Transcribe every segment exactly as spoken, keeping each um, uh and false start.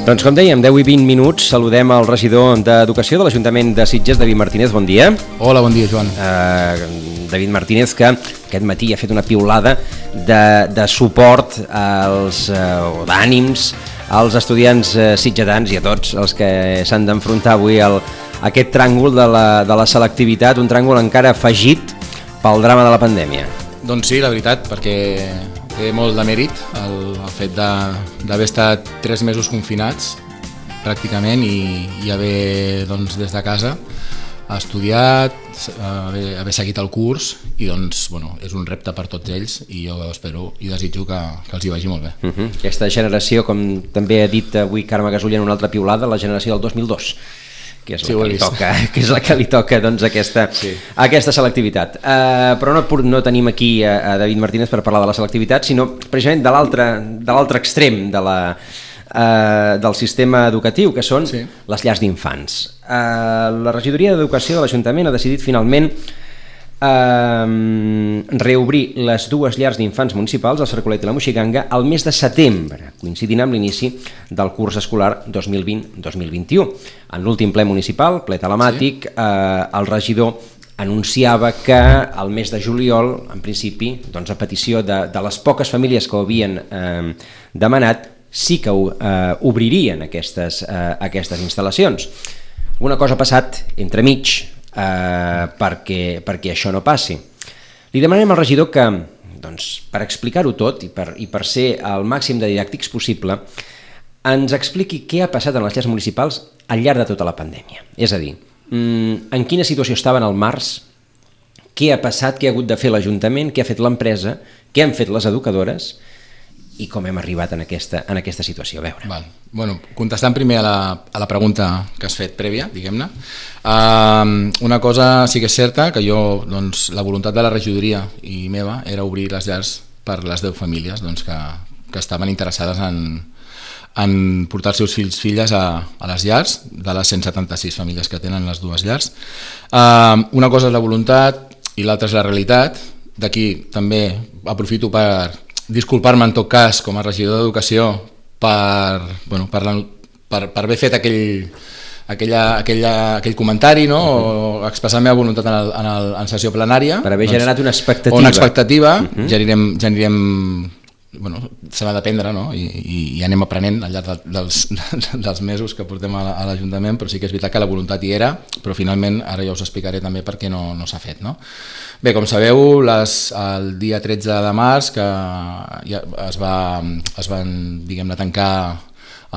Doncs com dèiem, deu i vint minuts, saludem el regidor d'Educació de l'Ajuntament de Sitges, David Martínez, bon dia. Hola, bon dia, Joan. Uh, David Martínez, que aquest matí ha fet una piulada de, de suport als, uh, d'ànims als estudiants uh, sitgetans i a tots els que s'han d'enfrontar avui al, a aquest tràngol de la, de la selectivitat, un tràngol encara afegit pel drama de la pandèmia. Doncs sí, la veritat, perquè té molt de mèrit el, el fet d'haver estat tres mesos confinats pràcticament i, i haver doncs, des de casa estudiat, haver, haver seguit el curs i doncs, bueno, és un repte per tots ells i jo espero i desitjo que, que els hi vagi molt bé. Uh-huh. Aquesta generació, com també ha dit avui Carme Gasulla en una altra piulada, la generació del dos mil dos, que és la, sí, que, li toca, que és la que li toca doncs, aquesta, sí. aquesta selectivitat. Uh, però no, no tenim aquí a, a David Martínez per parlar de la selectivitat, sinó precisament de l'altre de l'altre extrem de la, uh, del sistema educatiu, que són sí. les llars d'infants. Uh, la regidoria d'Educació de l'Ajuntament ha decidit finalment Uh, reobrir les dues llars d'infants municipals, el Cercolet i la Moixiganga, al mes de setembre, coincidint amb l'inici del curs escolar dos mil vint dos mil vint-i-u. En l'últim ple municipal, ple telemàtic, sí. uh, el regidor anunciava que al mes de juliol, en principi, doncs a petició de, de les poques famílies que ho havien uh, demanat, sí que uh, obririen aquestes, uh, aquestes instal·lacions. Una cosa ha passat entremig, Uh, perquè, perquè això no passi. Li demanem al regidor que, doncs, per explicar-ho tot i per, i per ser el màxim de didàctics possible, ens expliqui què ha passat en les llars municipals al llarg de tota la pandèmia. És a dir, en quina situació estaven al març, què ha passat, què ha hagut de fer l'Ajuntament, què ha fet l'empresa, què han fet les educadores i com hem arribat en aquesta, en aquesta situació. A veure. Val. Bueno, contestant primer a la, a la pregunta que has fet prèvia, diguem-ne, uh, una cosa sí que és certa, que jo, doncs, la voluntat de la regidoria i meva era obrir les llars per les deu famílies doncs, que, que estaven interessades en, en portar els seus fills filles a, a les llars, de les cent setanta-sis famílies que tenen les dues llars. Uh, una cosa és la voluntat i l'altra és la realitat. D'aquí també aprofito per disculpar-me en tot cas com a regidor d'Educació per, bueno, per, la, per, per haver fet aquell, aquella, aquella, aquell comentari, no? O expressar la meva voluntat en, el, en, el, en sessió plenària. Per haver doncs, generat una expectativa. Una expectativa, uh-huh. ja anirem, ja anirem bueno, se n'ha d'aprendre, no? I, i, i anem aprenent al llarg dels, dels mesos que portem a, a l'Ajuntament, però sí que és veritat que la voluntat hi era, però finalment ara ja us explicaré també per què no, no s'ha fet, no? Bé, com sabeu, les, el dia tretze de març que ja es, va, es van, diguem-ne, tancar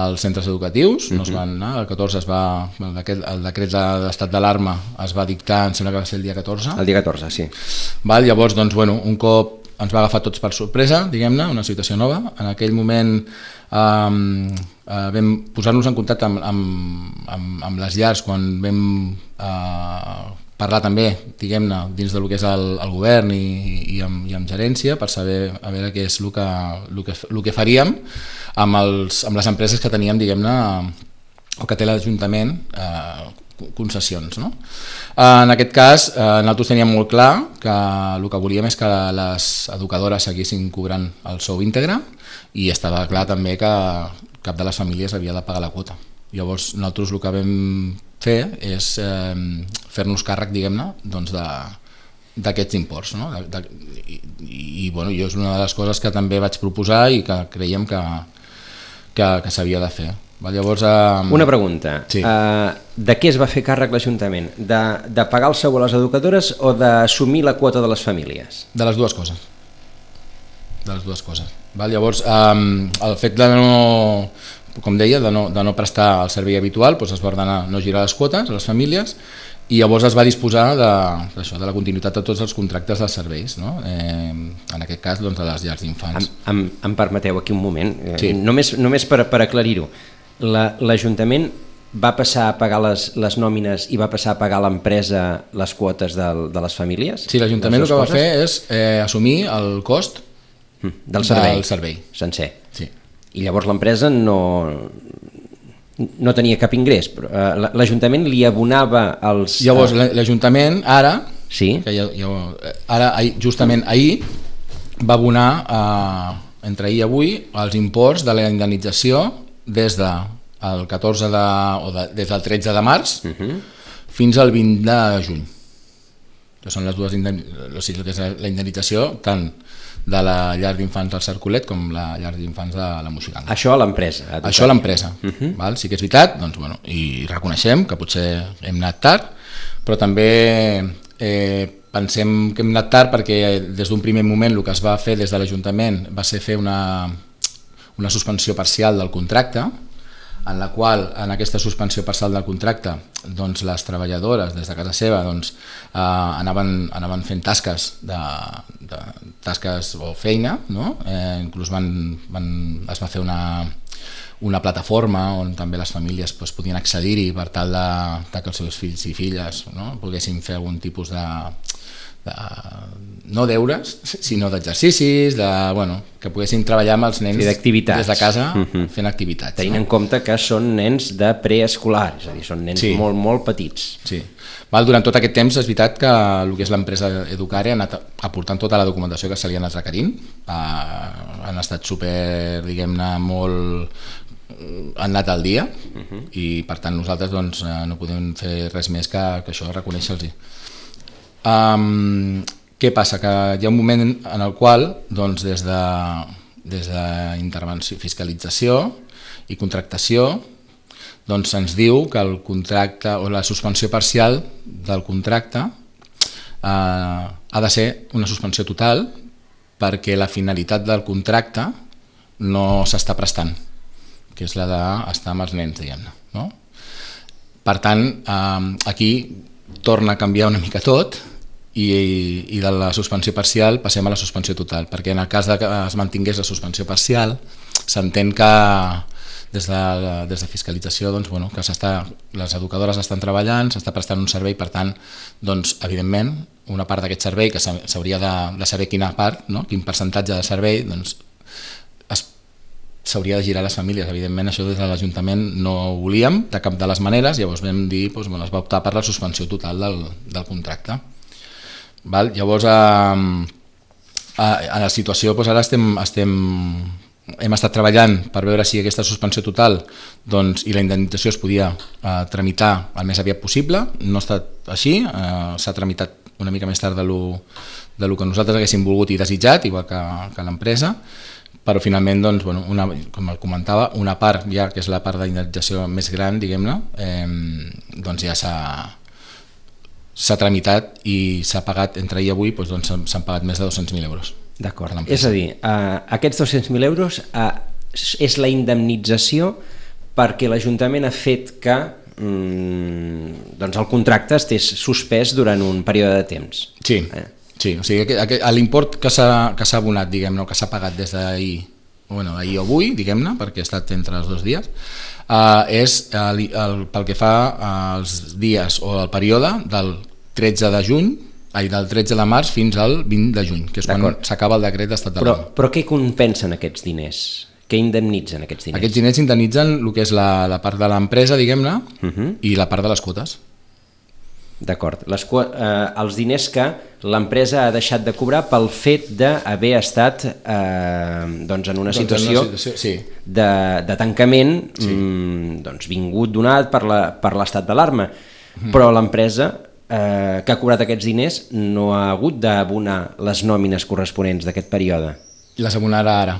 els centres educatius, no es van anar, el catorze es va, el decret, el decret d'estat d'alarma es va dictar, em sembla que va ser el dia catorze. El dia catorze, sí. Val, llavors, doncs, bueno, un cop ens va agafar tots per sorpresa, diguem-ne, una situació nova. En aquell moment um, uh, vam posar-nos en contacte amb, amb, amb, amb les llars quan vam uh, parlar també, diguem-ne, dins del que és el, el govern i, i, amb, i amb gerència per saber a veure què és el que, el que, el que faríem amb, els, amb les empreses que teníem, diguem-ne, o que té l'Ajuntament, eh, concessions, no? En aquest cas, eh, nosaltres teníem molt clar que el que volíem és que les educadores seguissin cobrant el sou íntegre i estava clar també que cap de les famílies havia de pagar la quota. Llavors, nosaltres el que vam fer és eh, fer-nos càrrec, diguem-ne, doncs de, d'aquests imports, no? De, de, i, i bueno, jo és una de les coses que també vaig proposar i que creiem que, que, que s'havia de fer. Va, llavors, eh... Una pregunta, sí. uh, de què es va fer càrrec l'Ajuntament? De, de pagar el sou a les educadores o d'assumir la quota de les famílies? De les dues coses. De les dues coses. Va, llavors, um, el fet de no, com deia, de no, de no prestar el servei habitual, doncs es va ordenar no girar les quotes a les famílies i llavors es va disposar de, d'això, de la continuïtat de tots els contractes dels serveis, no? Eh, en aquest cas, doncs, de les llars d'infants. Em, em, em permeteu aquí un moment, sí. eh, només, només per, per aclarir-ho. La, L'Ajuntament va passar a pagar les, les nòmines i va passar a pagar a l'empresa les quotes de, de les famílies? Sí, l'Ajuntament el que va fer és eh, assumir el cost del servei, del servei. sencer. Sí. I llavors l'empresa no, no tenia cap ingrés, però eh, l'Ajuntament li abonava els... Llavors l'Ajuntament ara, sí? que ja, ja, ara justament ahir va abonar, eh, entre ahir i avui, els imports de la indemnització des de el catorze de, o de, des del tretze de març Uh-huh. fins al vint de juny. Que són les dues indemnitzacions, o sigui, que és la indemnització tant de la llar d'infants del Cercolet com la llar d'infants de la Moixiganga. Això a l'empresa. Això a l'empresa. Uh-huh. Val? Sí que és veritat, doncs, bueno, i reconeixem que potser hem anat tard, però també eh, pensem que hem anat tard perquè des d'un primer moment el que es va fer des de l'Ajuntament va ser fer una, una suspensió parcial del contracte, en la qual, en aquesta suspensió parcial del contracte, doncs les treballadores des de casa seva doncs, eh, anaven, anaven fent tasques, de, de, tasques o feina, no? eh, inclús van, van, es va fer una, una plataforma on també les famílies doncs, podien accedir-hi per tal de, de que els seus fills i filles, no? poguessin fer algun tipus de, de no deures, sinó d'exercicis, de, bueno, que poguessin treballar amb els nens sí, des de casa uh-huh. fent activitats. Tenint no? en compte que són nens de preescolar, és a dir, són nens sí. molt, molt petits. Sí. Val, durant tot aquest temps és veritat que el que és l'empresa Educare ha anat aportant tota la documentació que se li ha anat requerint, uh, han estat super, diguem-ne, molt... han anat al dia uh-huh. i per tant nosaltres doncs, no podem fer res més que, que això, reconèixer-los. Um, què passa? Que hi ha un moment en el qual doncs, des de, des d'intervenció, fiscalització i contractació doncs se'ns diu que el contracte o la suspensió parcial del contracte eh, ha de ser una suspensió total perquè la finalitat del contracte no s'està prestant, que és la d'estar amb els nens, diguem-ne. No? Per tant, eh, aquí torna a canviar una mica tot i, i de la suspensió parcial passem a la suspensió total, perquè en el cas de que es mantingués la suspensió parcial s'entén que des de, des de fiscalització doncs, bueno, que les educadores estan treballant, s'està prestant un servei, per tant, doncs, evidentment, una part d'aquest servei que s'hauria de, de saber quina part, no? Quin percentatge de servei, doncs, s'hauria de girar a les famílies. Evidentment, això des de l'Ajuntament no ho volíem de cap de les maneres, llavors vam dir, doncs, bueno, es va optar per la suspensió total del, del contracte. Val? Llavors, a, a, a la situació, doncs, ara estem, estem, hem estat treballant per veure si aquesta suspensió total doncs, i la indemnització es podia eh, tramitar el més aviat possible. No ha estat així, eh, s'ha tramitat una mica més tard de lo, de lo que nosaltres haguéssim volgut i desitjat, igual que, que l'empresa, però finalment, doncs, bueno, una, com comentava, una part ja, que és la part d'indemnització més gran, diguem-ne, eh, doncs ja s'ha s'ha tramitat i s'ha pagat, entre ahir i avui, doncs, doncs, s'han pagat més de dos-cents mil euros. D'acord, és a dir, uh, aquests dos-cents mil euros uh, és la indemnització perquè l'Ajuntament ha fet que um, doncs el contracte estés suspès durant un període de temps. Sí, eh? sí, o sigui, l'import que s'ha que s'ha abonat, diguem-ne, que s'ha pagat des d'ahir, bueno, ahir o avui, diguem-ne, perquè ha estat entre els dos dies, uh, és el, el, pel que fa als dies o al període del tretze de juny, ai, del tretze de març fins al vint de juny, que és quan s'acaba el decret d'estat d'alarma. Però, però què compensen aquests diners? Què indemnitzen aquests diners? Aquests diners indemnitzen el que és la, la part de l'empresa, diguem-ne, uh-huh. i la part de les quotes. D'acord. Les, eh, els diners que l'empresa ha deixat de cobrar pel fet d'haver estat eh, doncs en una doncs situació, en una situació sí. de, de tancament sí. mm, doncs vingut donat per la, per l'estat d'alarma. Uh-huh. Però l'empresa eh, que ha cobrat aquests diners no ha hagut d'abonar les nòmines corresponents d'aquest període. Les abonarà ara.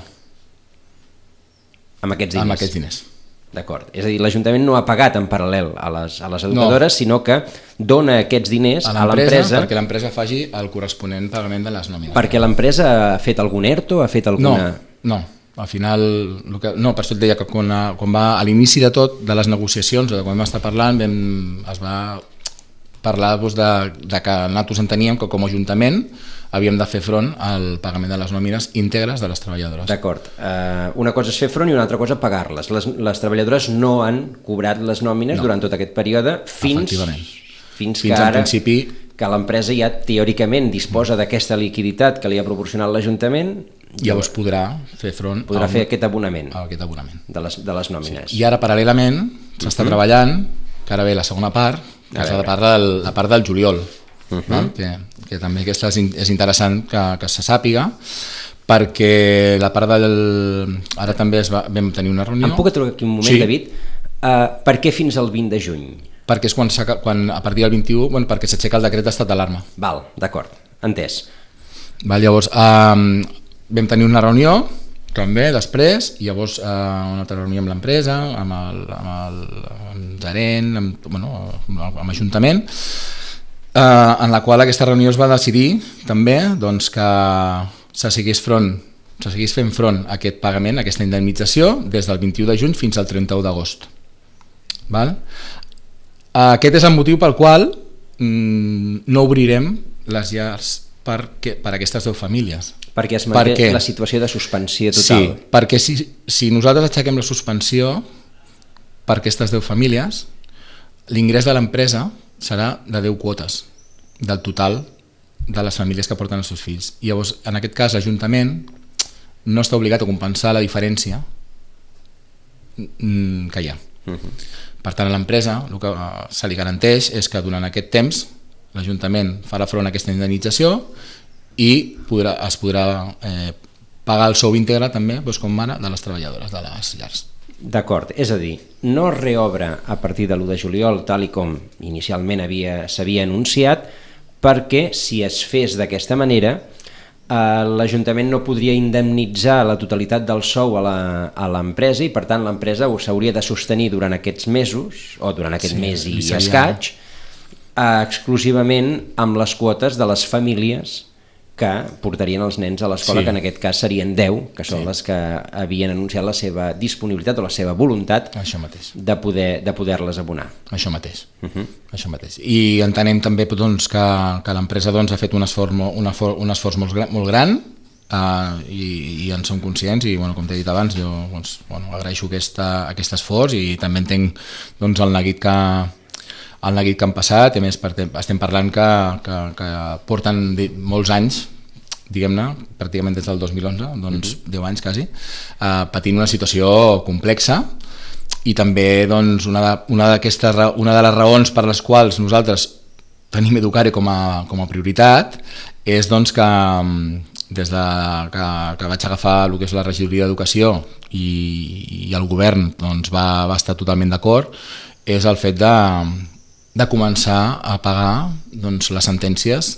Amb aquests diners? Amb aquests diners. D'acord. És a dir, l'Ajuntament no ha pagat en paral·lel a les, a les educadores, no. sinó que dona aquests diners a l'empresa perquè l'empresa faci el corresponent pagament de les nòmines. Perquè l'empresa ha fet algun ERTO? Ha fet alguna... No, no. Al final, el que, no, per això et deia que quan, quan va a l'inici de tot, de les negociacions, o de quan vam estar parlant, vam, es va parlar doncs, de, de que nosaltres enteníem que com a Ajuntament havíem de fer front al pagament de les nòmines íntegres de les treballadores. D'acord. Uh, una cosa és fer front i una altra cosa pagar-les. Les, les treballadores no han cobrat les nòmines no. durant tot aquest període fins, fins, fins que ara principi... que l'empresa ja teòricament disposa d'aquesta liquiditat que li ha proporcionat l'Ajuntament. Llavors podrà fer front podrà a fer aquest abonament, a aquest abonament. De, les, de les nòmines. Sí. I ara paral·lelament s'està uh-huh. treballant, que ara ve la segona part, que és la part del, la part del juliol. Uh-huh. que, que també aquesta és interessant que, que se sàpiga, perquè la part del... Ara també es va, vam tenir una reunió... Em puc aturar aquí un moment, sí. David? Uh, per què fins al vint de juny? Perquè és quan, quan a partir del vint-i-u, bueno, perquè s'aixeca el decret d'estat d'alarma. Val, d'acord, entès. Val, llavors, eh, vam tenir una reunió també després, i llavors eh, una altra reunió amb l'empresa, amb el, amb el, amb el gerent, amb, bueno, amb l'Ajuntament, eh, en la qual aquesta reunió es va decidir també doncs, que se seguís front se seguís fent front a aquest pagament, a aquesta indemnització, des del vint-i-u de juny fins al trenta-u d'agost. Val? Aquest és el motiu pel qual mm, no obrirem les llars per, que, per aquestes deu famílies. Perquè es manté perquè, la situació de suspensió total. Sí, perquè si, si nosaltres aixequem la suspensió per aquestes deu famílies, l'ingrés de l'empresa serà de deu quotes del total de les famílies que porten els seus fills. I llavors, en aquest cas, l'Ajuntament no està obligat a compensar la diferència que hi ha. Uh-huh. Per tant, a l'empresa el que se li garanteix és que durant aquest temps l'Ajuntament farà front a aquesta indemnització i podrà, es podrà eh, pagar el sou íntegre també, doncs com ara, de les treballadores de les llars. D'acord, és a dir, no es reobre a partir de l'u de juliol tal i com inicialment s'havia anunciat, perquè si es fes d'aquesta manera l'Ajuntament no podria indemnitzar la totalitat del sou a l'empresa i per tant l'empresa s'hauria de sostenir durant aquests mesos o durant aquest sí, mes i seria... escaig exclusivament amb les quotes de les famílies que portarien els nens a l'escola, sí. Que en aquest cas serien deu, que són sí. Les que havien anunciat la seva disponibilitat o la seva voluntat de poder de poder-les abonar. Això mateix. Uh-huh. Això mateix. I entenem també doncs, que, que l'empresa doncs, ha fet un esforç, un esforç, un esforç molt, molt gran uh, i, i en som conscients i bueno, com t'he dit abans jo doncs, bueno, agraeixo aquesta, aquest esforç i també entenc doncs, el neguit que el neguit que han passat, i a més estem parlant que, que, que porten molts anys, diguem-ne, pràcticament des del dos mil onze, doncs mm-hmm. deu anys quasi, eh, patint una situació complexa i també doncs, una, de, una, una de les raons per les quals nosaltres tenim Educare com a, com a prioritat és doncs, que des de que, que vaig agafar el que és la regidoria d'Educació i, i el govern doncs, va, va estar totalment d'acord, és el fet de de començar a pagar doncs, les sentències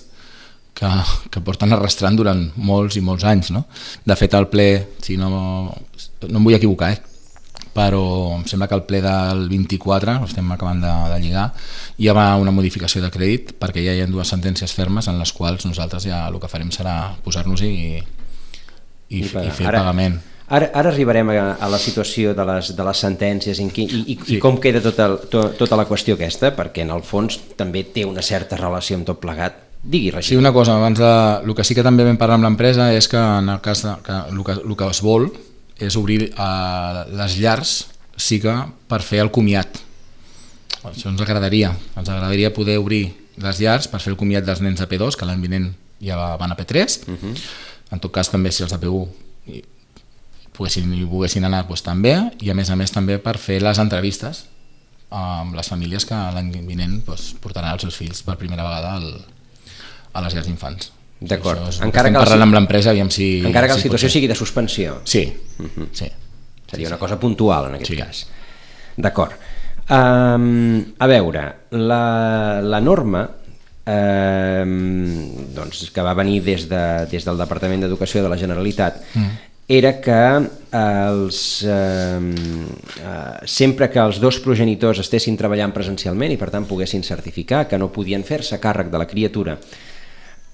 que, que porten arrastrant durant molts i molts anys. No? De fet, el ple, si no, no em vull equivocar, eh? Però em sembla que el ple del vint-i-quatre, estem acabant de, de lligar, hi ha una modificació de crèdit perquè ja hi ha dues sentències fermes en les quals nosaltres ja el que farem serà posar-nos i, i, i fer el pagament. Ara, ara arribarem a, a la situació de les, de les sentències i, i, i, sí. I com queda tota, to, tota la qüestió aquesta, perquè en el fons també té una certa relació amb tot plegat. Digui, Regina. Sí, una cosa, abans de, el que sí que també vam parlar amb l'empresa és que en el cas de, que el, que, el que es vol és obrir eh, les llars sí que per fer el comiat. Això ens agradaria, ens agradaria poder obrir les llars per fer el comiat dels nens de P dos, que l'any vinent ja van a P tres, uh-huh. En tot cas també si els de P u poguessin, hi poguessin anar doncs, també, i a més a més també per fer les entrevistes amb les famílies que l'any vinent doncs, portaran els seus fills per primera vegada al, a les llars d'infants. D'acord. Sí, encara que parlant amb l'empresa aviam si... Encara que la si situació sigui de suspensió. Sí. Uh-huh. Sí. Seria sí, una cosa puntual en aquest sí. cas. D'acord. Um, a veure, la, la norma um, doncs, que va venir des, de, des del Departament d'Educació de la Generalitat mm. era que els, eh, eh, sempre que els dos progenitors estessin treballant presencialment i per tant poguessin certificar que no podien fer-se càrrec de la criatura,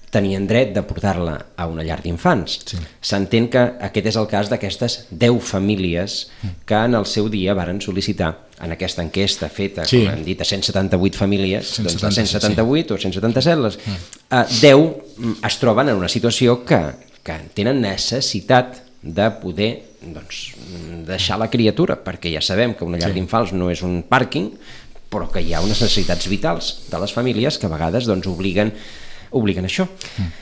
tenien dret de portar-la a una llar d'infants. Sí. S'entén que aquest és el cas d'aquestes deu famílies que en el seu dia varen sol·licitar en aquesta enquesta feta, sí. Com hem dit, a cent setanta-vuit famílies, cent setanta, doncs a cent setanta-vuit sí. O cent setanta-set, les, eh, deu es troben en una situació que, que tenen necessitat de poder doncs, deixar la criatura, perquè ja sabem que una llar sí. d'infants no és un pàrquing, però que hi ha unes necessitats vitals de les famílies que a vegades doncs, obliguen, obliguen això. Mm.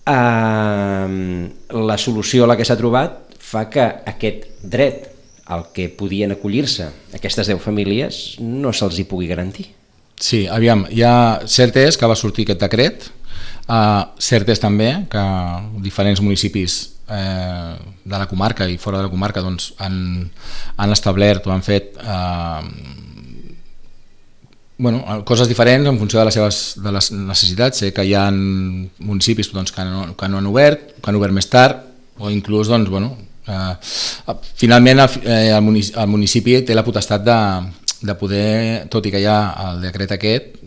Uh, la solució a la que s'ha trobat fa que aquest dret al que podien acollir-se aquestes deu famílies no se'ls hi pugui garantir. Sí, aviam, ja cert és que va sortir aquest decret, uh, cert és també que diferents municipis eh, de la comarca i fora de la comarca doncs, han, han establert o han fet eh, bueno, coses diferents en funció de les seves de les necessitats. Sé que hi ha municipis doncs, que, no, que no han obert, que han obert més tard, o inclús doncs, bueno, eh, finalment el, eh, el, municipi, el municipi té la potestat de, de poder, tot i que hi ha el decret aquest,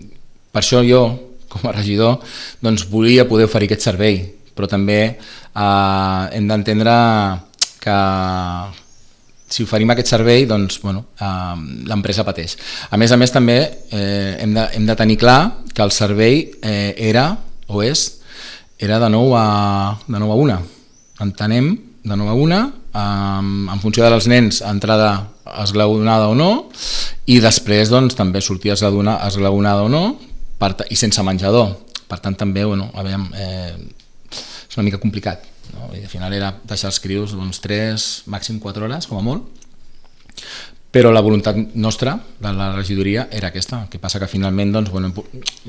per això jo com a regidor doncs, volia poder oferir aquest servei, però també eh, hem d'entendre que si oferim aquest servei, doncs, bueno, eh, l'empresa pateix. A més a més, també eh, hem, de, hem de tenir clar que el servei eh, era, o és, era de nou a, de nou a una. Entenem, de nou a una, eh, en funció dels nens, entrada esglaonada o no, i després doncs, també sortir esglaonada o no, per, i sense menjador. Per tant, també, bueno, a veure, eh, és una mica complicat. No? I al final era deixar els crios doncs, tres, màxim quatre hores, com a molt, però la voluntat nostra de la regidoria era aquesta. El que passa que finalment doncs, bueno,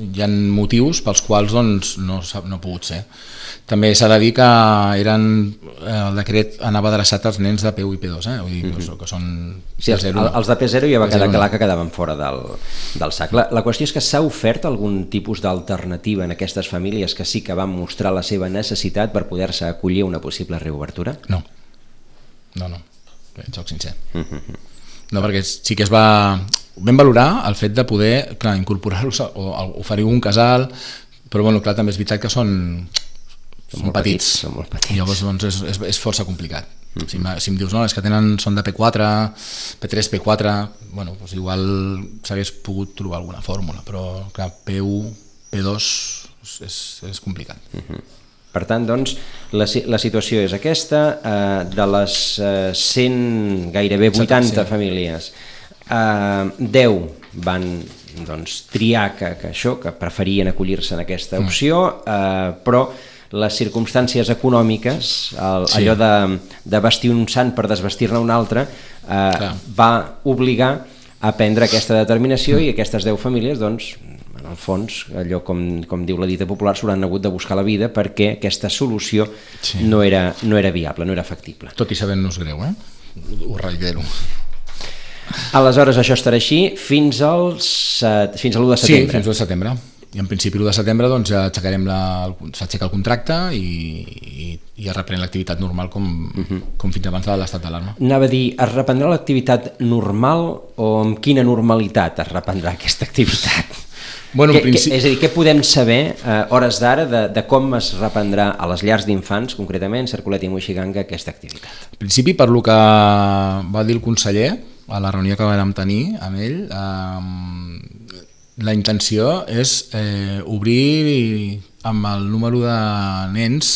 hi ha motius pels quals doncs, no, no ha pogut ser. També s'ha de dir que eren, el decret anava adreçat als nens de P u i P dos, eh? Vull dir, mm-hmm. que són sí, els, els de P zero ja va quedar clar que quedaven fora del, del sac. La, la qüestió és que s'ha ofert algun tipus d'alternativa en aquestes famílies que sí que van mostrar la seva necessitat per poder-se acollir a una possible reobertura? No, no, no, soc sincer. Mm-hmm. No, perquè sí que es va... Vam valorar el fet de poder, clar, incorporar-los o oferir un casal, però bueno, clar, també és veritat que són, són, són petits, petits. Són molt petits. I llavors doncs, és, és, és força complicat. Mm-hmm. Si, si em dius, no, és que tenen, són de P quatre, P tres, P quatre, bueno, doncs igual s'hagués pogut trobar alguna fórmula, però clar, P u, P dos és, és complicat. Mm-hmm. Per tant, doncs, la, la situació és aquesta, eh, de les eh, cent, gairebé vuitanta famílies, eh, deu van doncs, triar que, que això, que preferien acollir-se en aquesta opció, eh, però les circumstàncies econòmiques, el, sí. allò de, de vestir un sant per desvestir-ne un altre, eh, va obligar a prendre aquesta determinació mm. i aquestes deu famílies, doncs, en el fons, allò com, com diu la dita popular, s'hauran hagut de buscar la vida perquè aquesta solució sí. no, era, no era viable, no era factible. Tot i sabent-nos greu, eh? Ho reitero. Aleshores això estarà així fins, als, fins a l'u de setembre. Sí, fins a l'u de setembre. I en principi l'u de setembre doncs, ja aixecarem la, s'aixeca el contracte i, i, i es reprèn l'activitat normal com, uh-huh. com fins abans de l'estat d'alarma. Anava a dir, es reprendrà l'activitat normal o amb quina normalitat es reprendrà aquesta activitat? Bueno, que, principi... que, és a dir, què podem saber a eh, hores d'ara de, de com es reprendrà a les llars d'infants, concretament, Cercolet i Moixiganga, aquesta activitat? En principi, per lo que va dir el conseller a la reunió que vam tenir amb ell, eh, la intenció és eh, obrir amb el número de nens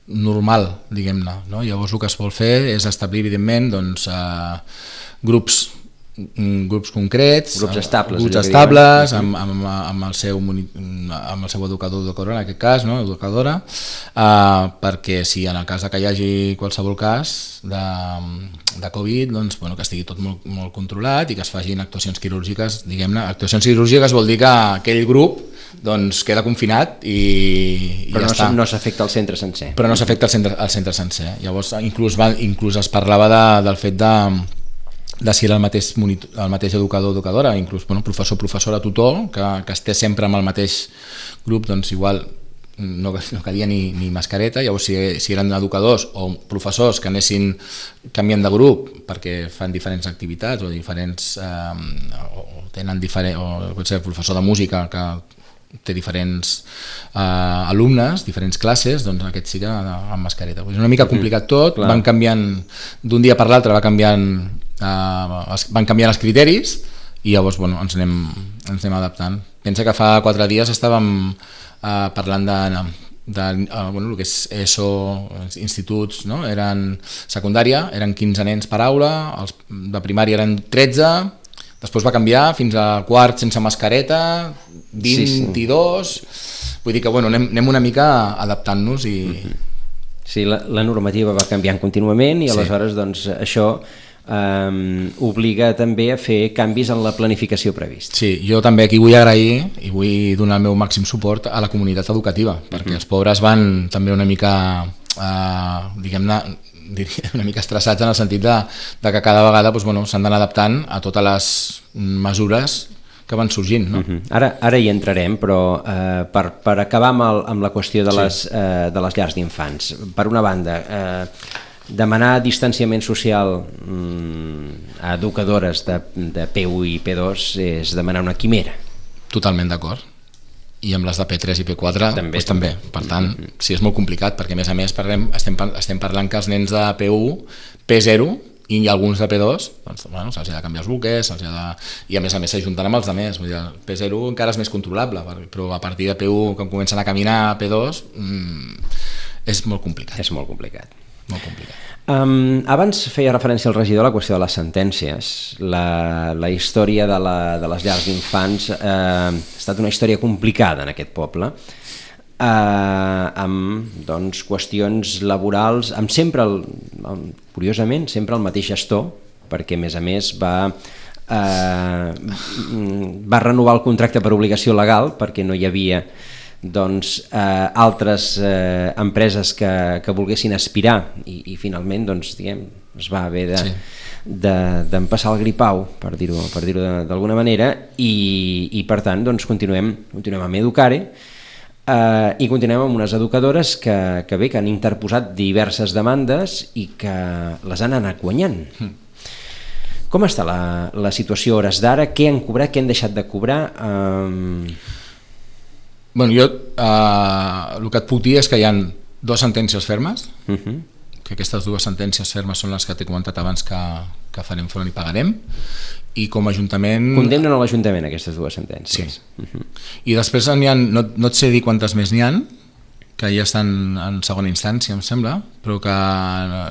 normal, diguem-ne. No? Llavors el que es vol fer és establir, evidentment, doncs, eh, grups grups concrets, grups estables, grups estables amb, amb, amb, el seu, amb el seu educador o educadora, en aquest cas, no? educadora, eh, perquè si en el cas que hi hagi qualsevol cas de, de Covid, doncs, bueno, que estigui tot molt, molt controlat i que es facin actuacions quirúrgiques, diguem-ne. Actuacions quirúrgiques vol dir que aquell grup doncs, queda confinat i, i però ja no, està. no s'afecta el centre sencer. Però no s'afecta el centre, el centre sencer. Llavors, inclús, va, inclús es parlava de, del fet de de si era el mateix, monitor, el mateix educador o educadora, inclús bueno, professor, professora, tutor, que, que estés sempre amb el mateix grup, doncs igual no, no calia ni, ni mascareta. Llavors si, si eren educadors o professors que anessin canviant de grup perquè fan diferents activitats o diferents eh, o tenen diferent, o pot ser professor de música que té diferents eh, alumnes, diferents classes, doncs aquest sí que amb mascareta. És una mica complicat tot, mm, van canviant d'un dia per l'altre, va canviant Uh, van canviar els criteris i llavors bueno, ens, anem, ens anem adaptant. Pensa que fa quatre dies estàvem uh, parlant de, de uh, bueno, el que és ESO, instituts, no? Eren secundària, eren quinze nens per aula, els de primària eren tretze, després va canviar fins a quart sense mascareta, vint-i-dos, sí, sí. Vull dir que bueno, anem, anem una mica adaptant-nos i... Sí, la, la normativa va canviant contínuament i aleshores sí. doncs, això Um, obliga també a fer canvis en la planificació prevista. Sí, jo també aquí vull agrair i vull donar el meu màxim suport a la comunitat educativa, perquè uh-huh. els pobres van també una mica eh, diguem-ne, diria una mica estressats en el sentit de, de que cada vegada doncs, bueno, s'han d'anar adaptant a totes les mesures que van sorgint. No? Uh-huh. Ara, ara hi entrarem, però eh, per, per acabar amb, el, amb la qüestió de les, sí. eh, de les llars d'infants, per una banda, eh, demanar distanciament social mm, a educadores de, de P u i P dos és demanar una quimera. Totalment d'acord. I amb les de P tres i P quatre també, doncs també. Per tant, mm-hmm. sí, és molt complicat, perquè a més a més parlem, estem, estem parlant que els nens de P u, P zero i alguns de P dos, doncs, bueno, se'ls ha de canviar els buques, se'ls ha de... i a més a més s'ajunten amb els altres. Vull dir, el P zero encara és més controlable, però a partir de P u, quan comencen a caminar a P dos, mmm, és molt complicat. És molt complicat. Molt complicat. Um, abans feia referència al regidor a la qüestió de les sentències. La, la història de, la, de les llars d'infants eh, ha estat una història complicada en aquest poble, eh, amb doncs, qüestions laborals, amb sempre, el, el, curiosament, sempre el mateix gestor, perquè a més a més va, eh, va renovar el contracte per obligació legal, perquè no hi havia doncs, eh, altres eh, empreses que, que volguessin aspirar i, i finalment doncs, diguem, es va haver de, sí. de, d'empassar el gripau, per dir-ho per dir-ho d'alguna manera, i, i per tant doncs, continuem, continuem amb Educare eh, i continuem amb unes educadores que, que bé, que han interposat diverses demandes i que les han anat guanyant. Mm. Com està la, la situació a hores d'ara? Què han cobrat? Què han deixat de cobrar? Eh... Bueno, jo eh, el que et puc dir és que hi ha dues sentències fermes, uh-huh. que aquestes dues sentències fermes són les que t'he comentat abans que, que farem front i pagarem, i com a Ajuntament... Condemnen a l'Ajuntament aquestes dues sentències. Sí. Uh-huh. I després n'hi ha, no, no et sé dir quantes més n'hi ha, que ja estan en segona instància, em sembla, però que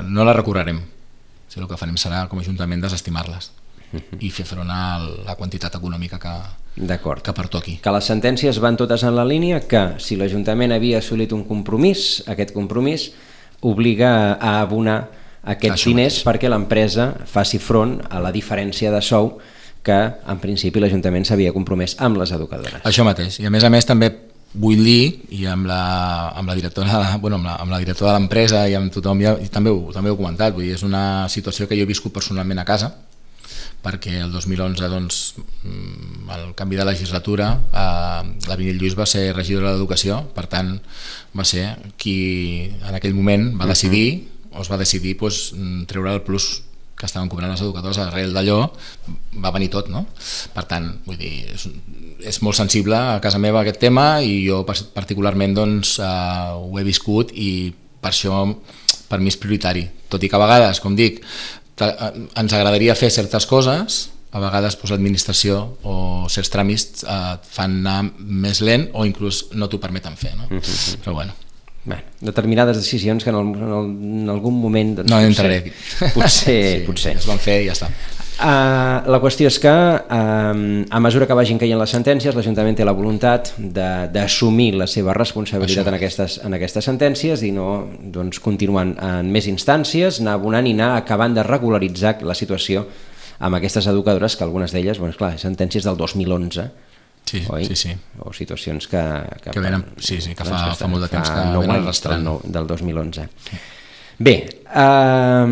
no les recorrerem. O sigui, el que farem serà, com a Ajuntament, desestimar-les uh-huh. i fer front a la quantitat econòmica que... D'acord. Que pertoqui. Que les sentències van totes en la línia que si l'Ajuntament havia assolit un compromís, aquest compromís obliga a abonar aquests Això diners mateix. Perquè l'empresa faci front a la diferència de sou que en principi l'Ajuntament s'havia compromès amb les educadores. Això mateix. I a més a més també vull dir, i amb la, amb la directora, bueno, amb la, amb la directora de l'empresa i amb tothom, ja, i també, ho, també ho he comentat, vull dir, és una situació que jo he viscut personalment a casa, perquè el dos mil onze, doncs, el canvi de legislatura, eh, la Vinyet Lluís va ser regidora d'Educació, per tant, va ser qui en aquell moment va decidir, o es va decidir doncs, treure el plus que estaven cobrant les educadores. Arrel d'allò va venir tot, no? Per tant, vull dir, és, és molt sensible a casa meva aquest tema i jo particularment doncs, eh, ho he viscut i per això per mi és prioritari, tot i que a vegades, com dic, ens agradaria fer certes coses, a vegades doncs, l'administració o certs tràmits eh, fan anar més lent o inclús no t'ho permeten fer, no? Uh-huh. Però bueno. Bé, determinades decisions que en, el, en, el, en algun moment doncs, no entraré aquí. Potser, sí, potser. Es van fer i ja està. Uh, la qüestió és que uh, a mesura que vagin caient les sentències, l'Ajuntament té la voluntat d'assumir la seva responsabilitat en aquestes, en aquestes sentències i no doncs, continuant en més instàncies, anar abonant i anar acabant de regularitzar la situació amb aquestes educadores, que algunes d'elles, bueno, clar, sentències del dos mil onze, sí, oi? Sí, sí. O situacions que... Que, que venen, sí, sí, que fa, que fa molt de temps que venen arrastrant. Del, del dos mil onze. Sí. Bé, eh,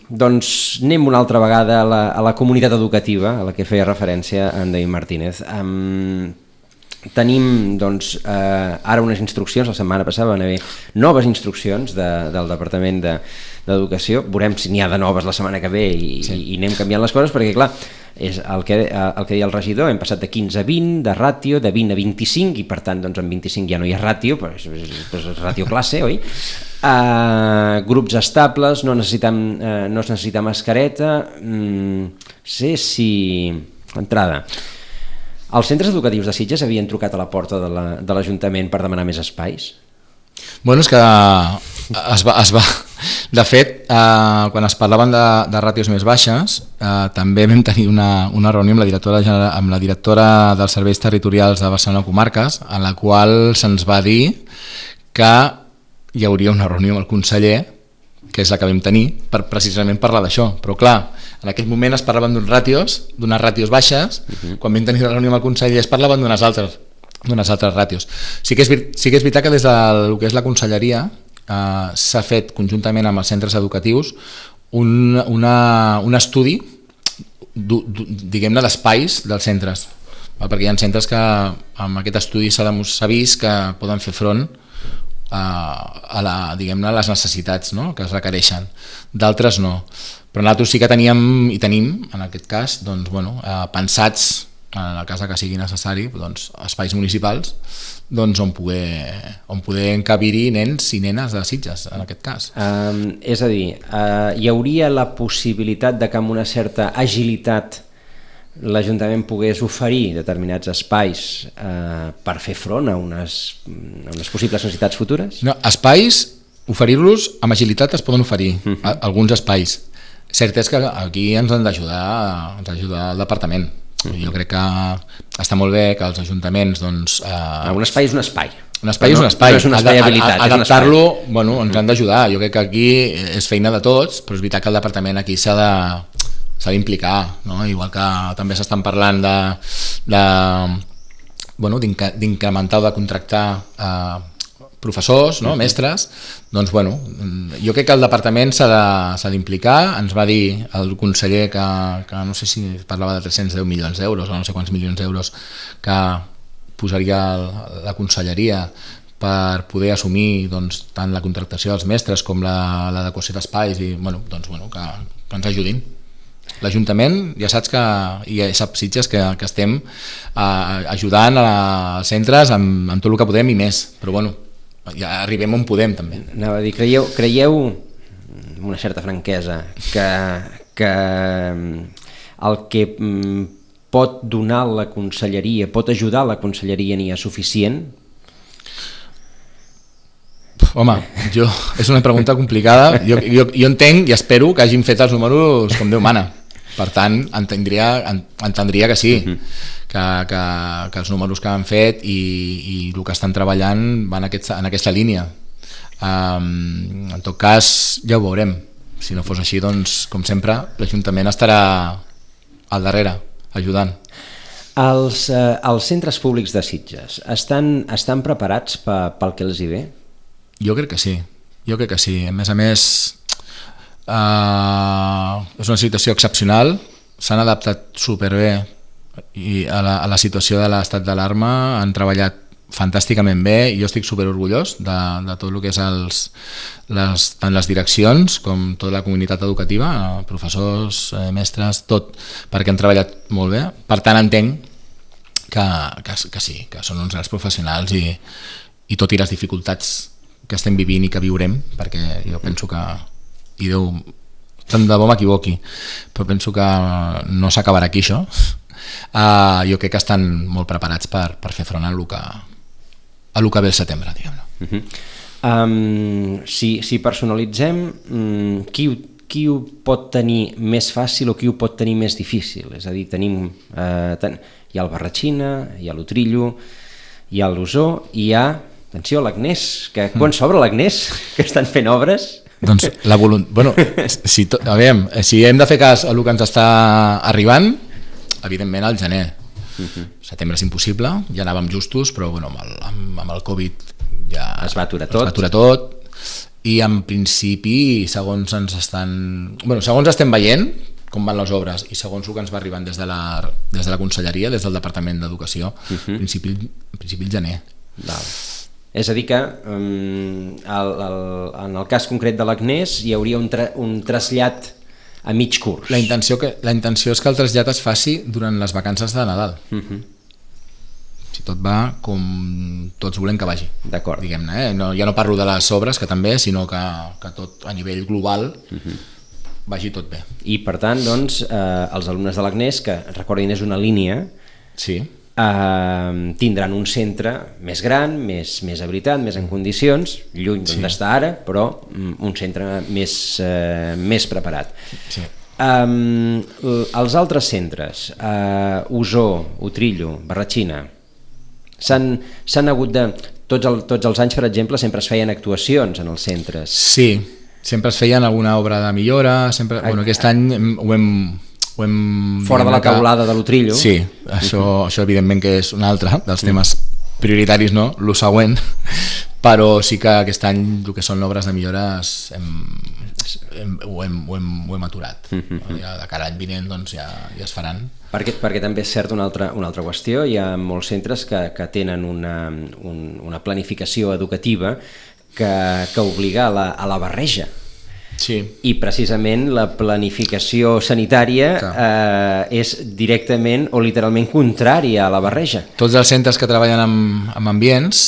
doncs anem una altra vegada a la, a la comunitat educativa a la que feia referència en David Martínez. Um, tenim doncs, eh, ara unes instruccions, la setmana passada van haver noves instruccions de, del Departament de, d'Educació, veurem si n'hi ha de noves la setmana que ve i, sí. i, i anem canviant les coses perquè clar, és el que, el que deia el regidor, hem passat de quinze a vint de ràtio, de vint a vint-i-cinc i per tant doncs, en vint-i-cinc ja no hi ha ràtio, però és, és, és ràtio classe, oi? Uh, grups estables, no necessitem, uh, no es necessita mascareta, mm, sé si... Entrada. Els centres educatius de Sitges havien trucat a la porta de, la, de l'Ajuntament per demanar més espais? Bueno, és que es va... Es va... De fet, eh, quan es parlaven de, de ràtios més baixes, eh, també vam tenir una, una reunió amb la, directora, amb la directora dels serveis territorials de Barcelona Comarques, en la qual se'ns va dir que hi hauria una reunió amb el conseller, que és la que vam tenir, per precisament parlar d'això. Però clar, en aquell moment es parlaven d'uns ràtios, d'unes ràtios baixes, uh-huh. Quan vam tenir la reunió amb el conseller es parlaven d'unes altres, d'unes altres ràtios. Sí que, és, sí que és veritat que des del que és la conselleria eh, s'ha fet conjuntament amb els centres educatius un, una, un estudi du, du, diguem-ne d'espais dels centres, perquè hi ha centres que amb aquest estudi s'ha, s'ha vist que poden fer front a, a, la, diguem-ne, a les necessitats, no?, que es requereixen, d'altres no, però nosaltres sí que teníem i tenim en aquest cas doncs, bueno, eh, pensats en el cas que sigui necessari, doncs, espais municipals doncs, on poder, on poder encabir-hi nens i nenes de Sitges, en aquest cas. Um, és a dir, uh, hi hauria la possibilitat de que amb una certa agilitat l'Ajuntament pogués oferir determinats espais uh, per fer front a unes, a unes possibles necessitats futures? No, espais, oferir-los amb agilitat es poden oferir, uh -huh. a, alguns espais. Cert és que aquí ens han d'ajudar ens ha d'ajudar el departament. Jo crec que està molt bé que els ajuntaments doncs, eh... un espai és un espai un espai és un espai, no és un espai habilitat, adaptar-lo, bueno, ens han d'ajudar, jo crec que aquí és feina de tots, però és veritat que el departament aquí s'ha de s'ha d'implicar, no? Igual que també s'estan parlant de, de bueno, d'incrementar o de contractar eh, professors, no? Mestres, doncs bueno, jo crec que el departament s'ha d'implicar. Ens va dir el conseller que, que no sé si parlava de tres-cents deu milions d'euros o no sé quants milions d'euros que posaria la conselleria per poder assumir doncs, tant la contractació dels mestres com l'adequació d'espais i bueno, doncs, bueno, que, que ens ajudin. L'Ajuntament ja saps que, i ja sap Sitges que, que estem eh, ajudant als centres amb, amb tot el que podem i més, però bueno, ja arribem on podem també. Anava a dir, creieu, creieu amb una certa franquesa que, que el que pot donar la conselleria, pot ajudar la conselleria n'hi ha suficient? Home, jo, és una pregunta complicada. Jo, jo, jo entenc i espero que hagin fet els números com Déu mana. Per tant, entendria, entendria que sí, uh-huh. que, que, que els números que han fet i, i el que estan treballant van en aquesta, en aquesta línia. Um, en tot cas, ja ho veurem. Si no fos així, doncs, com sempre, l'Ajuntament estarà al darrere, ajudant. Els, eh, els centres públics de Sitges estan, estan preparats pel que els hi ve? Jo crec que sí, jo crec que sí. A més a més, Uh, és una situació excepcional, s'han adaptat superbé i a la, a la situació de l'estat d'alarma han treballat fantàsticament bé i jo estic superorgullós de, de tot el que és els, les, tant les direccions com tota la comunitat educativa, professors, eh, mestres, tot, perquè han treballat molt bé. Per tant, entenc que, que, que sí, que són uns grans professionals i, i tot i les dificultats que estem vivint i que viurem, perquè jo penso que i Déu, tant de bo m'equivoqui, però penso que no s'acabarà aquí això. Uh, jo crec que estan molt preparats per, per fer front a el que, a el que ve el setembre, diguem-ne. Uh-huh. um, si, si personalitzem, um, qui, qui ho pot tenir més fàcil o qui ho pot tenir més difícil? És a dir, tenim, uh, ten, hi ha el Barratxina, hi ha l'Utrillo, hi ha l'Osó, i hi ha, atenció, l'Agnès, que quan s'obre l'Agnès, que estan fent obres... Doncs la voluntat... Bueno, si, to... veure, si hem de fer cas a el que ens està arribant, evidentment al gener. Uh-huh. Setembre és impossible, ja anàvem justos, però bueno, amb, el, amb, amb el Covid ja es va aturar tot. Es va aturar tot i en principi, segons ens estan... Bueno, segons estem veient com van les obres i segons el que ens va arribant des de la, des de la conselleria, des del Departament d'Educació, uh-huh. en, principi, en principi el gener. Val. És a dir que um, el, el, en el cas concret de l'Agnès hi hauria un, tra un trasllat a mig curs. La intenció, que, la intenció és que el trasllat es faci durant les vacances de Nadal. Uh-huh. Si tot va com tots volem que vagi. D'acord. Diguem-ne, eh? No, ja no parlo de les obres, que també, sinó que, que tot a nivell global uh-huh. vagi tot bé. I per tant, doncs, eh, els alumnes de l'Agnès, que recordin és una línia, sí. Uh, tindran un centre més gran, més, més habilitat, més en condicions, lluny d'on sí. està ara, però um, un centre més, uh, més preparat. Sí. Um, els altres centres, uh, Osó, Utrillo, Barratxina, s'han hagut de... Tots, el, tots els anys, per exemple, sempre es feien actuacions en els centres. Sí, sempre es feien alguna obra de millora, sempre, bueno, aquest any ho hem... Ho hem, fora de la taulada de l'Utrillo. Sí, això, uh-huh. això evidentment que és un altre dels temes prioritaris, no? Lo següent, però sí que aquest any el que són obres de millores hem, hem, ho, hem, ho, hem, ho hem aturat. Mm-hmm. Ja de cara a l'any vinent doncs, ja, ja es faran. Perquè, perquè també és cert una altra, una altra qüestió, hi ha molts centres que, que tenen una, un, una planificació educativa que, que obliga a la, a la barreja. Sí. I precisament la planificació sanitària eh, és directament o literalment contrària a la barreja. Tots els centres que treballen amb, amb ambients,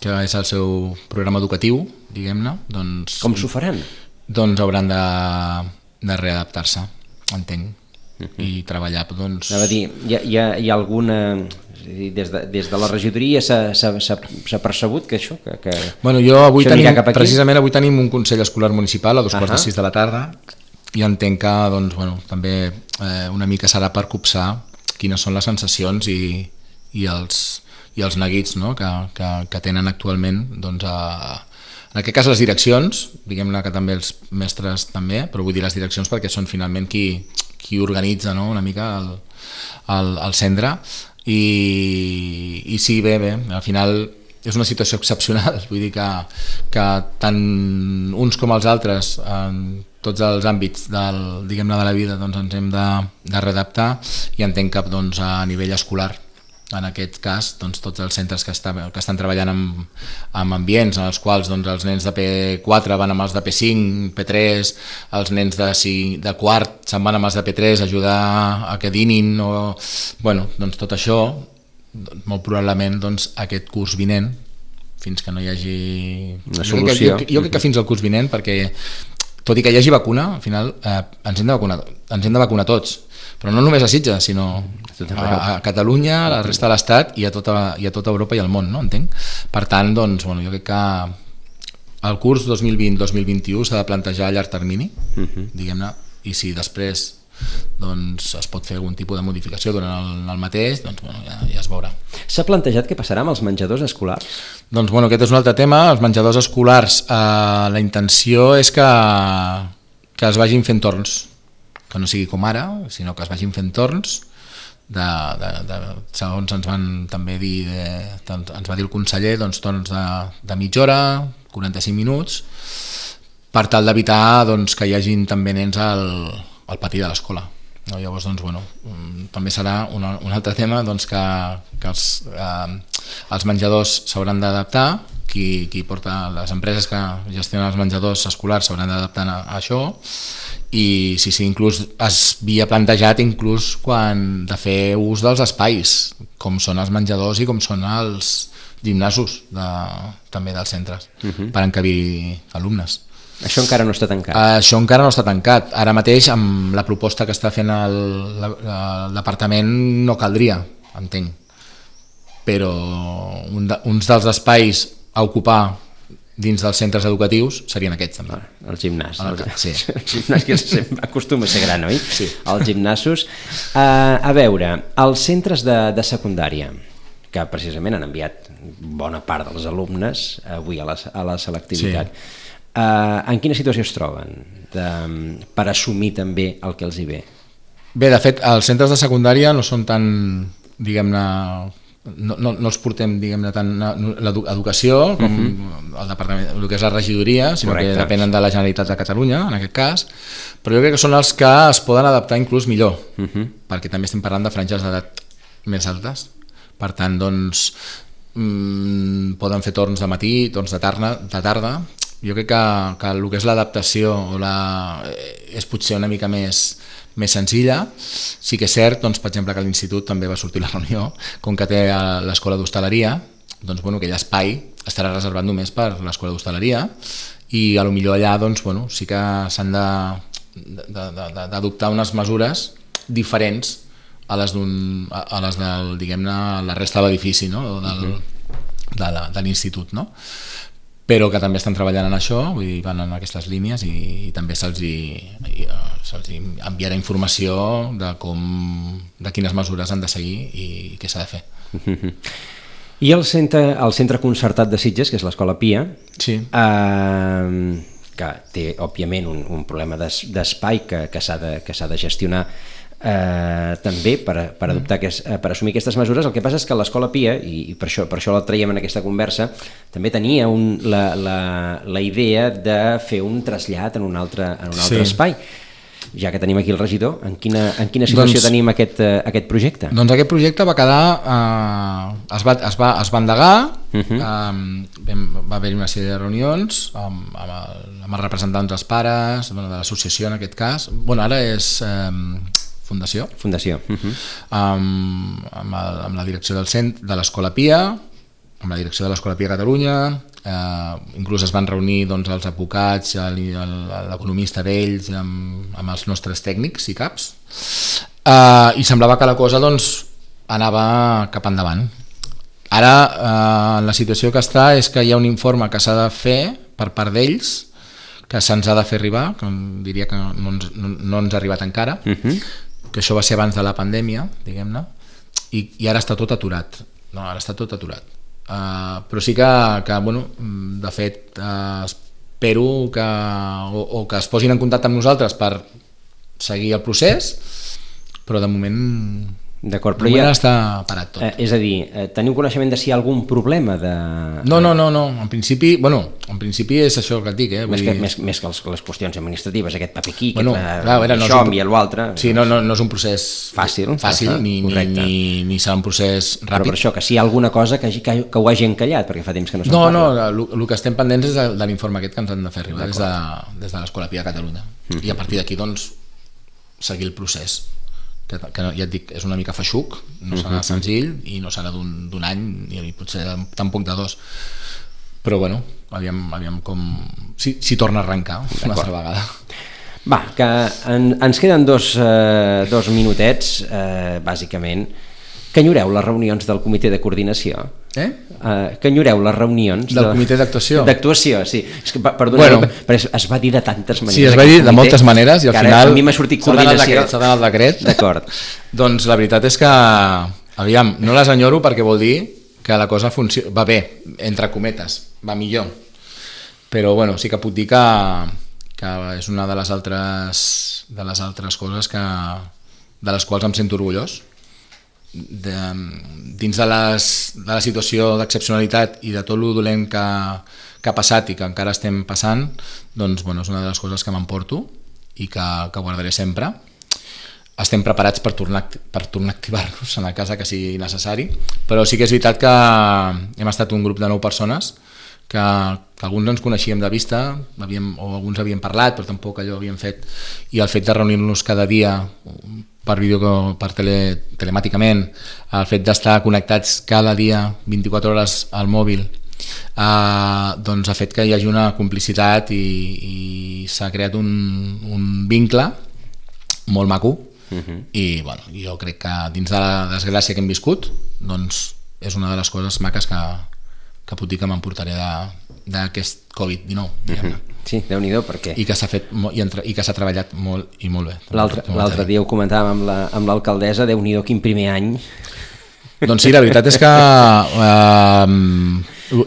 que és el seu programa educatiu, diguem-ne, doncs... Com s'ho faran? Doncs hauran de, de readaptar-se, entenc, uh-huh. i treballar, doncs... Anava a dir, hi ha, hi ha, hi ha alguna... Des de, des de la regidoria s'ha percebut que això... Que, que bueno, jo avui tenim, precisament avui tenim un Consell Escolar Municipal a dos quarts uh-huh. de sis de la tarda i entenc que doncs, bueno, també eh, una mica serà per copsar quines són les sensacions i, i, els, i els neguits, no? que, que, que tenen actualment doncs, a, en aquest cas les direccions, diguem-ne que també els mestres també, però vull dir les direccions perquè són finalment qui, qui organitza, no? Una mica el, el, el centre. I, i sí, bé, bé, al final és una situació excepcional, vull dir que, que tant uns com els altres en tots els àmbits del, diguem-ne, de la vida doncs ens hem de, de readaptar i entenc que doncs, a nivell escolar en aquest cas doncs, tots els centres que, està, que estan treballant amb, amb ambients en els quals doncs, els nens de P quatre van amb els de P cinc, P tres, els nens de, de quart se'n van amb els de P tres a ajudar a que dinin o... bueno, doncs tot això molt probablement doncs, aquest curs vinent fins que no hi hagi una solució, jo, jo, jo crec que fins al curs vinent perquè tot i que hi hagi vacuna al final eh, ens hem de vacunar, ens hem de vacunar tots, però no només a Sitges sinó a, a Catalunya, a la resta de l'Estat i a tota, i a tota Europa i al món, no? Entenc? Per tant, doncs, bueno, jo crec que el curs dos mil vint dos mil vint-i-u s'ha de plantejar a llarg termini, uh-huh. diguem-ne, i si després doncs, es pot fer algun tipus de modificació durant el, el mateix, doncs bueno, ja, ja es veurà. S'ha plantejat què passarà amb els menjadors escolars? Doncs bueno, aquest és un altre tema. Els menjadors escolars, eh, la intenció és que, que es vagin fent torns, que no sigui com ara, sinó que es vagin fent torns, de, de, de, segons ens van també dir, de, ens va dir el conseller, doncs torns de, de mitja hora, quaranta-cinc minuts, per tal d'evitar doncs, que hi hagin també nens al al pati de l'escola. No? Llavors, doncs, bueno, també serà una, un altre tema doncs, que, que els, eh, els menjadors s'hauran d'adaptar, qui, qui porta les empreses que gestionen els menjadors escolars s'hauran d'adaptar a, a això, i sí, sí, inclús es havia plantejat inclús quan de fer ús dels espais, com són els menjadors i com són els gimnasos de, també dels centres, uh-huh. per encabir alumnes. Això encara no està tancat? Uh, això encara no està tancat. Ara mateix, amb la proposta que està fent el, la, el departament, no caldria, entenc. Però un de, uns dels espais a ocupar dins dels centres educatius serien aquests, també. Ah, el gimnàs. El, el, sí. el gimnàs que acostuma a ser gran, oi? Sí. Els gimnasos. Uh, a veure, els centres de, de secundària, que precisament han enviat bona part dels alumnes avui a la, a la selectivitat, sí. Uh, en quina situació es troben de, per assumir també el que els hi ve? Bé, de fet, els centres de secundària no són tan, diguem-ne, no, no, no els portem, diguem-ne, tant l'educació com uh-huh. el departament, el que és la regidoria, sinó Correcte. Que depenen de la Generalitat de Catalunya, en aquest cas, però jo crec que són els que es poden adaptar inclús millor, uh-huh. perquè també estem parlant de franges d'edat més altes, per tant, doncs, mmm, poden fer torns de matí, torns de tarda, de tarda. Jo crec que, que el que és l'adaptació o la, és potser una mica més, més senzilla. Sí que és cert, doncs, per exemple, que a l'institut també va sortir la reunió, com que té l'escola d'hostaleria, doncs, bueno, aquell espai estarà reservat només per l'escola d'hostaleria i a lo millor allà doncs, bueno, sí que s'han de, de, de, d'adoptar unes mesures diferents a les, d'un, a les del, diguem-ne, la resta de l'edifici, no? Del, de, la, de l'institut, no? Però que també estan treballant en això, vull dir, van en aquestes línies i, i també se'ls hi, se'ls hi enviarà informació de com, de quines mesures han de seguir i, i què s'ha de fer. I el centre, el centre concertat de Sitges, que és l'Escola Pia, sí. eh, que té òbviament un, un problema d'espai que, que s'ha de, que s'ha de gestionar, eh, també per, per, adoptar aquest, per assumir aquestes mesures. El que passa és que l'Escola Pia, i, i per, això, per això la traiem en aquesta conversa, també tenia un, la, la, la idea de fer un trasllat en un altre, en un altre sí. espai. Ja que tenim aquí el regidor, en quina, en quina situació doncs, tenim aquest, uh, aquest projecte? Doncs aquest projecte va quedar, eh, es, va, es, va, es va endegar, uh-huh. eh, va haver-hi una sèrie de reunions amb, amb, el, amb els representants dels pares, bueno, de l'associació en aquest cas, bueno, ara és eh, Fundació, Fundació. Uh-huh. amb, amb, el, amb la direcció del centre, de l'Escola Pia, amb la direcció de l'Escola Pia Catalunya, eh, inclús es van reunir doncs, els advocats, l'economista d'ells, amb, amb els nostres tècnics i caps, eh, i semblava que la cosa doncs, anava cap endavant. Ara eh, la situació que està és que hi ha un informe que s'ha de fer per part d'ells, que se'ns ha de fer arribar, que diria que no ens, no, no ens ha arribat encara, uh-huh. que això va ser abans de la pandèmia, diguem-ne, i, i ara està tot aturat. No, ara està tot aturat. Uh, però sí que, que bueno, de fet uh, espero que, o, o que es posin en contacte amb nosaltres per seguir el procés, però de moment D'acord, però ja està parat tot. Eh, és a dir, eh, teniu coneixement de si hi ha algun problema de... No, no, no, no. En principi, bueno, en principi és això que et dic, eh? Més que, dir... més, més que les, les qüestions administratives, aquest paper aquí, bueno, aquest, clar, veure, no això, un... envia l'altre... Sí, no, no, no és un procés fàcil, fàcil ni, ni, ni, ni serà un procés ràpid. Però per això, que si hi ha alguna cosa que, que, que ho hagi encallat, perquè fa temps que no se'n no, parla. No, no, el que estem pendents és de, de l'informe aquest que ens han de fer arribar des de, des de l'Escola Pia Catalunya. Mm-hmm. I a partir d'aquí, doncs, seguir el procés. Que, que ja et dic, és una mica feixuc, no serà uh-huh. senzill i no serà d'un any ni potser tampoc de dos, però bueno, aviam, aviam com si, si torna a arrencar una altra vegada. Va, que en, ens queden dos, eh, dos minutets, eh, bàsicament. Que enyoreu les reunions del comitè de coordinació? Eh? Uh, que enyoreu les reunions del de... comitè d'actuació? D'actuació, sí. És que, perdoneu, bueno, però es va dir de tantes maneres. Sí, es va dir de moltes maneres i al final a mi m'ha sortit coordinació. S'ha d'anar al decret. D'acord. Doncs la veritat és que, aviam, no les enyoro perquè vol dir que la cosa funciona, va bé, entre cometes, va millor. Però bueno, sí que puc dir que, que és una de les altres, de les altres coses que, de les quals em sento orgullós. De, dins de, les, de la situació d'excepcionalitat i de tot lo dolent que, que ha passat i que encara estem passant, doncs bueno, és una de les coses que m'emporto i que, que guardaré sempre. Estem preparats per tornar, per tornar a activar-nos en la casa que sigui necessari, però sí que és veritat que hem estat un grup de nou persones que, que alguns ens coneixíem de vista, havíem, o alguns havíem parlat, però tampoc allò havíem fet, i el fet de reunir-nos cada dia per vídeo, per tele, telemàticament, el fet d'estar connectats cada dia vint-i-quatre hores al mòbil, eh, doncs ha fet que hi hagi una complicitat i, i s'ha creat un, un vincle molt maco. Uh-huh. I bueno, jo crec que dins de la desgràcia que hem viscut, doncs és una de les coses maques que, que puc dir que m'emportaré d'aquest covid dinou, diguem-ne. Uh-huh. Sí, Déu-n'hi-do, perquè... I que s'ha fet i, entre, i que s'ha treballat molt i molt bé. L'altre dia ho comentàvem amb, la, amb l'alcaldessa, Déu-n'hi-do, quin primer any. Doncs sí, la veritat és que eh,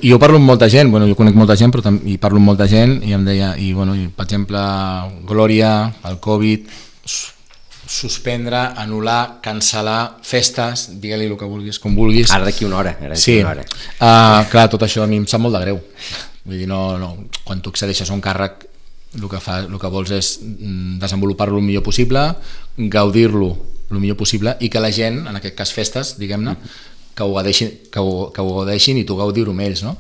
jo parlo amb molta gent, bueno, jo conec molta gent, però també, i parlo amb molta gent, i em deia, i, bueno, i, per exemple, Glòria, el Covid, suspendre, anul·lar, cancel·lar festes, digue-li el que vulguis, com vulguis. Ara d'aquí una hora. Ara d'aquí sí, una hora. Uh, clar, tot això a mi em sap molt de greu. Vull dir, no, no, quan tu accedeixes a un càrrec, el que, fa, el que vols és desenvolupar-lo el millor possible, gaudir-lo el millor possible i que la gent, en aquest cas festes, diguem-ne, que ho gaudeixin, que ho, que ho gaudeixin i tu gaudir-ho amb ells, no?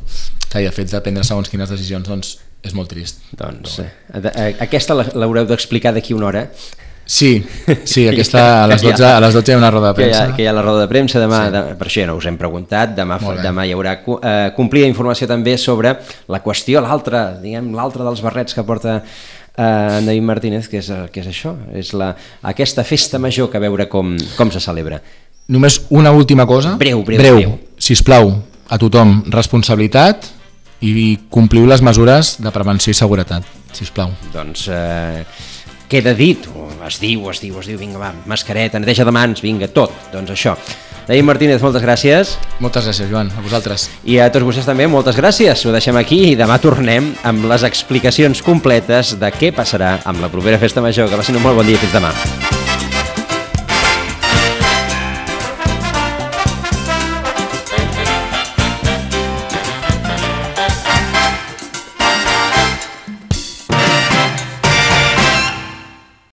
Que el fet de prendre segons quines decisions, doncs, és molt trist. Doncs eh, aquesta l'haureu d'explicar d'aquí una hora. Sí, sí, aquesta a les dotze, a les dotze hi ha una roda de premsa. Que hi ha, que hi ha la roda de premsa demà, sí. de, per això ja no us hem preguntat, demà, demà hi haurà eh, complida informació també sobre la qüestió, l'altra, diguem, l'altra dels barrets que porta eh, en David Martínez, que és, que és això, és la, aquesta festa major, que a veure com, com se celebra. Només una última cosa, breu, breu, breu, breu. Sisplau, a tothom, responsabilitat i compliu les mesures de prevenció i seguretat, sisplau. Doncs... Eh, queda dit, es diu, es diu, es diu, vinga, va, mascareta, neteja de mans, vinga, tot, doncs això. David Martínez, moltes gràcies. Moltes gràcies, Joan, a vosaltres. I a tots vostès també, moltes gràcies. Ho deixem aquí i demà tornem amb les explicacions completes de què passarà amb la propera festa major. Que passin un molt bon dia, fins demà.